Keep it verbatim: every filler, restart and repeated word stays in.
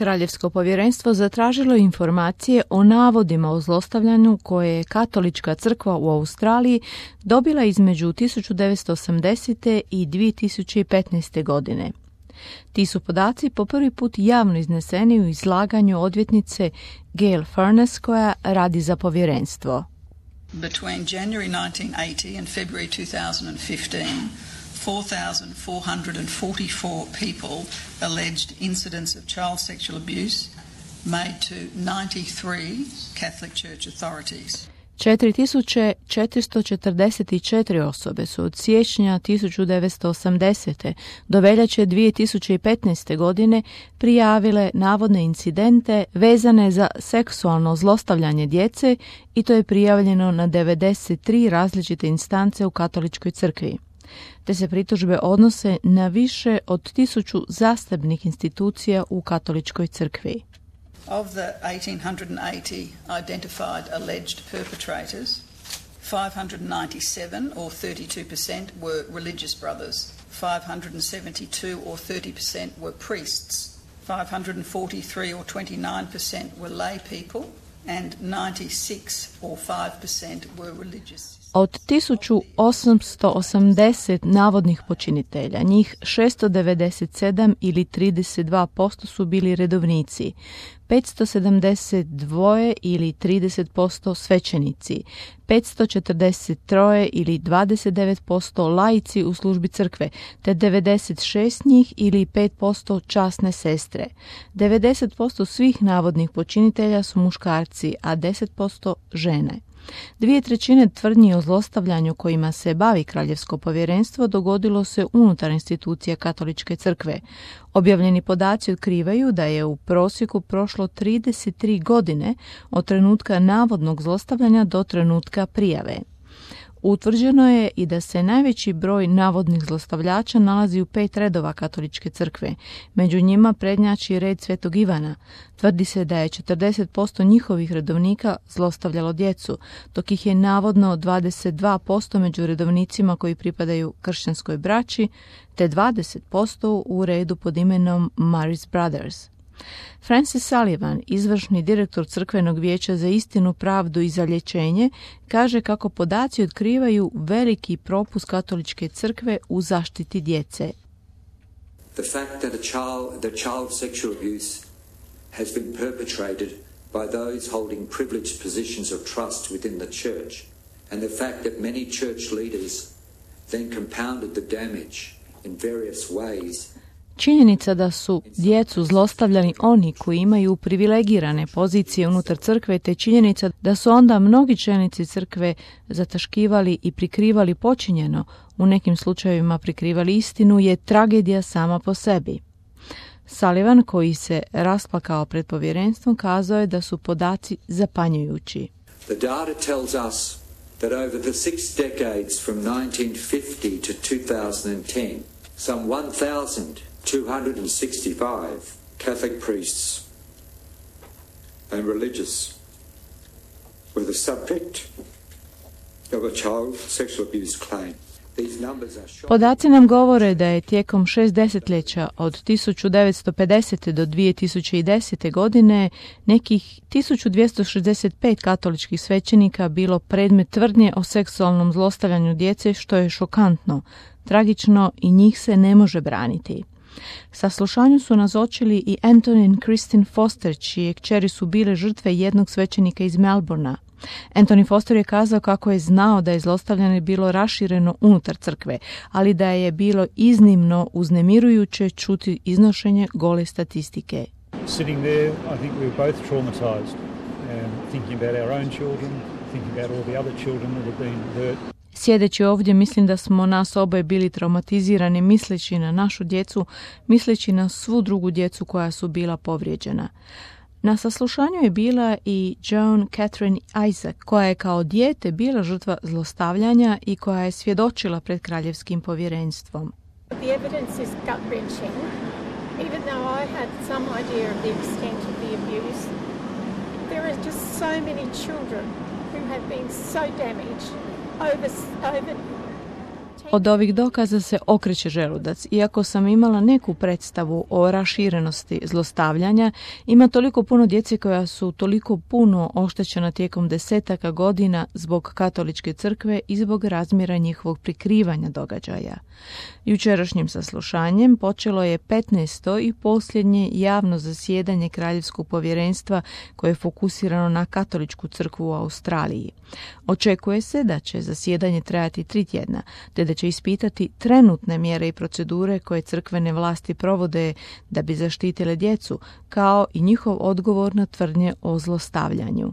Kraljevsko povjerenstvo zatražilo informacije o navodima o zlostavljanju koje je Katolička crkva u Australiji dobila između tisuću devetsto osamdesete i dvije tisuće petnaeste. godine. Ti su podaci po prvi put javno izneseni u izlaganju odvjetnice Gail Furness koja radi za povjerenstvo. Between January nineteen eighty and February two thousand fifteen, four thousand four hundred forty-four people alleged incidents of child sexual abuse made to ninety-three Catholic Church authorities. četiri tisuće četiristo četrdeset četiri osobe su od siječnja tisuću devetsto osamdesete do veljače dvije tisuće petnaeste. godine prijavile navodne incidente vezane za seksualno zlostavljanje djece i to je prijavljeno na devedeset tri različite instance u Katoličkoj crkvi. Te se pritužbe odnose na više od tisuću zasebnih institucija u Katoličkoj crkvi. Of the one thousand eight hundred eighty identified alleged perpetrators, five hundred ninety-seven or thirty-two percent were religious brothers, five hundred seventy-two or thirty percent were priests, five hundred forty-three or twenty-nine percent were lay people, and ninety-six or five percent were religious. Od tisuću osamsto osamdeset navodnih počinitelja, njih šesto devedeset sedam ili trideset dva posto su bili redovnici, petsto sedamdeset dva ili trideset posto svećenici, petsto četrdeset tri ili dvadeset devet posto laici u službi crkve, te devedeset šest njih ili pet posto časne sestre. devedeset posto svih navodnih počinitelja su muškarci, a deset posto žene. Dvije trećine tvrdnji o zlostavljanju kojima se bavi Kraljevsko povjerenstvo dogodilo se unutar institucija Katoličke crkve. Objavljeni podaci otkrivaju da je u prosjeku prošlo trideset tri godine od trenutka navodnog zlostavljanja do trenutka prijave. Utvrđeno je i da se najveći broj navodnih zlostavljača nalazi u pet redova Katoličke crkve. Među njima prednjači red Svetog Ivana. Tvrdi se da je četrdeset posto njihovih redovnika zlostavljalo djecu, dok ih je navodno dvadeset dva posto među redovnicima koji pripadaju kršćanskoj braći, te dvadeset posto u redu pod imenom Mary's Brothers. Francis Sullivan, izvršni direktor Crkvenog vijeća za istinu, pravdu i zalječenje, kaže kako podaci otkrivaju veliki propust Katoličke crkve u zaštiti djece. The fact that a child, that child sexual abuse has been perpetrated by those holding privileged positions of trust within the church, and the fact that many church leaders then compounded the damage in various ways. Činjenica da su djecu zlostavljali oni koji imaju privilegirane pozicije unutar crkve, te činjenica da su onda mnogi čelnici crkve zataškivali i prikrivali počinjeno, u nekim slučajevima prikrivali istinu, je tragedija sama po sebi. Sullivan, koji se rasplakao pred povjerenstvom, kazao je da su podaci zapanjujući. The data tells us that over the six decades from nineteen fifty to two thousand ten, some one thousand two hundred sixty-five Catholic priests and religious were the subject of a child sexual abuse claim. Podaci nam govore da je tijekom šest desetljeća od tisuću devetsto pedesete do dvije tisuće desete. godine nekih tisuću dvjesto šezdeset pet katoličkih svećenika bilo predmet tvrdnje o seksualnom zlostavljanju djece, što je šokantno, tragično i njih se ne može braniti. Saslušanju su nazočili i Anthony i Christine Foster, čije kćeri su bile žrtve jednog svećenika iz Melbournea. Anthony Foster je kazao kako je znao da je zlostavljanje bilo rašireno unutar crkve, ali da je bilo iznimno uznemirujuće čuti iznošenje gole statistike. Sitting there, I think we were both traumatized, and thinking about our own children, thinking about all the other children that have been hurt. Sjedeći ovdje, mislim da smo nas oboje bili traumatizirani, misleći na našu djecu, misleći na svu drugu djecu koja su bila povrijeđena. Na saslušanju je bila i Joan Catherine Isaac, koja je kao dijete bila žrtva zlostavljanja i koja je svjedočila pred Kraljevskim povjerenstvom. The evidence is gut-wrenching. Even though I had some idea of the extent of the abuse, there are just so many children who have been so damaged over over Od ovih dokaza se okreće želudac. Iako sam imala neku predstavu o raširenosti zlostavljanja, ima toliko puno djece koja su toliko puno oštećena tijekom desetaka godina zbog katoličke crkve i zbog razmjera njihovog prikrivanja događaja. Jučerašnjim saslušanjem počelo je petnaesto i posljednje javno zasjedanje Kraljevskog povjerenstva koje je fokusirano na katoličku crkvu u Australiji. Očekuje se da će zasjedanje trajati tri tjedna, te da će ispitati trenutne mjere i procedure koje crkvene vlasti provode da bi zaštitile djecu, kao i njihov odgovor na tvrdnje o zlostavljanju.